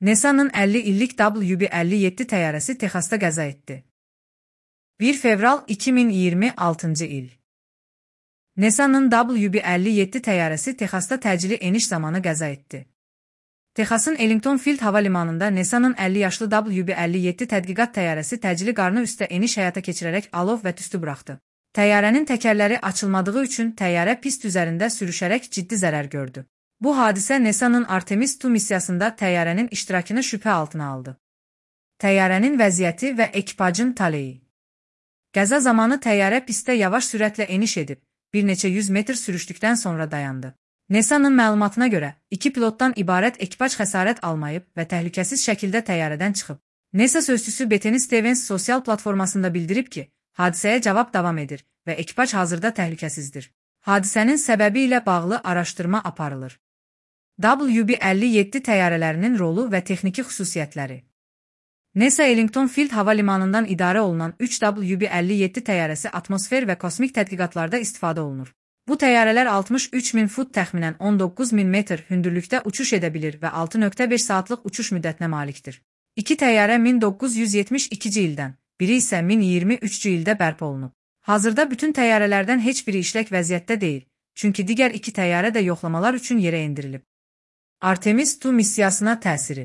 NASA'nın 50 illik WB-57 təyyarəsi Texasda qəza etdi. 1 fevral 2026 il. NASA'nın WB-57 təyyarəsi Texasda təcili eniş zamanı qəza etdi. Texasın Ellington Field hava limanında NASA'nın 50 yaşlı WB-57 tədqiqat təyyarəsi təcili qarnı üstə eniş həyata keçirərək alov və tüstü buraxdı. Təyyarənin təkərləri açılmadığı üçün təyyarə pist üzərində sürüşərək ciddi zərər gördü. Bu hadisə NASA'nın Artemis II missiyasında təyyarənin iştirakını şübhə altına aldı. Təyyarənin vəziyyəti və ekipajın taleyi. Qəza zamanı təyyarə pistdə yavaş sürətlə eniş edib, bir neçə 100 metr sürüşdükdən sonra dayandı. NASA'nın məlumatına görə, 2 pilotdan ibarət ekipaj xəsarət almayıb və təhlükəsiz şəkildə təyyarədən çıxıb. NASA sözçüsü Bettany Stevens sosial platformasında bildirib ki, hadisəyə cavab davam edir və ekipaj hazırda təhlükəsizdir. Hadisənin səbəbi ilə bağlı araşdırma aparılır. WB-57 təyyarələrinin rolu və texniki xüsusiyyətləri. NASA Ellington Field hava limanından idarə olunan 3 WB-57 təyyarəsi atmosfer və kosmik tədqiqatlarda istifadə olunur. Bu təyyarələr 63.000 fut təxminən 19.000 metr hündürlükdə uçuş edə bilir və 6.5 saatlıq uçuş müddətinə malikdir. 2 təyyarə 1972-ci ildən, biri isə 1023-cü ildə bərpa olunub. Hazırda bütün təyyarələrdən heç biri işlək vəziyyətdə deyil, çünki digər 2 təyyarə də yoxlamalar üçün yerə endirilib. Artemis II missiyasına təsiri.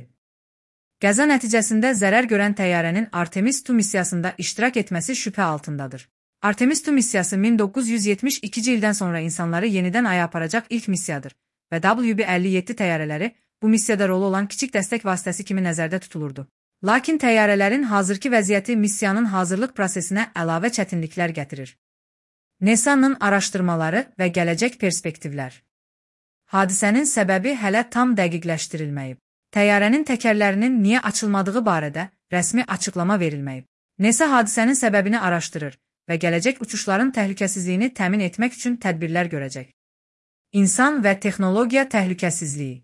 Qəza nəticəsində zərər görən təyyarənin Artemis II missiyasında iştirak etməsi şübhə altındadır. Artemis II missiyası 1972-ci ildən sonra insanları yenidən aya aparacaq ilk missiyadır və WB-57 təyyarələri bu missiyada rolu olan kiçik dəstək vasitəsi kimi nəzərdə tutulurdu. Lakin təyyarələrin hazırki vəziyyəti missiyanın hazırlıq prosesinə əlavə çətinliklər gətirir. NASA'nın araşdırmaları və gələcək perspektivlər. Hadisənin səbəbi hələ tam dəqiqləşdirilməyib. Təyyarənin təkərlərinin niyə açılmadığı barədə rəsmi açıqlama verilməyib. NASA hadisənin səbəbini araşdırır və gələcək uçuşların təhlükəsizliyini təmin etmək üçün tədbirlər görəcək. İnsan və texnologiya təhlükəsizliyi.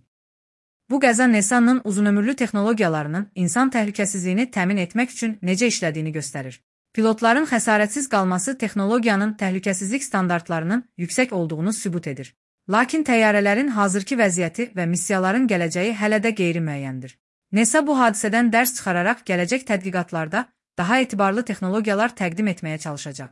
Bu qəza NASA'nın uzunömürlü texnologiyalarının insan təhlükəsizliyini təmin etmək üçün necə işlədiyini göstərir. Pilotların xəsarətsiz qalması texnologiyanın təhlükəsizlik standartlarının yüksək olduğunu sübut edir. Lakin təyyarələrin hazırki vəziyyəti və missiyaların gələcəyi hələ də qeyri-müəyyəndir. NASA bu hadisədən dərs çıxararaq gələcək tədqiqatlarda daha etibarlı texnologiyalar təqdim etməyə çalışacaq.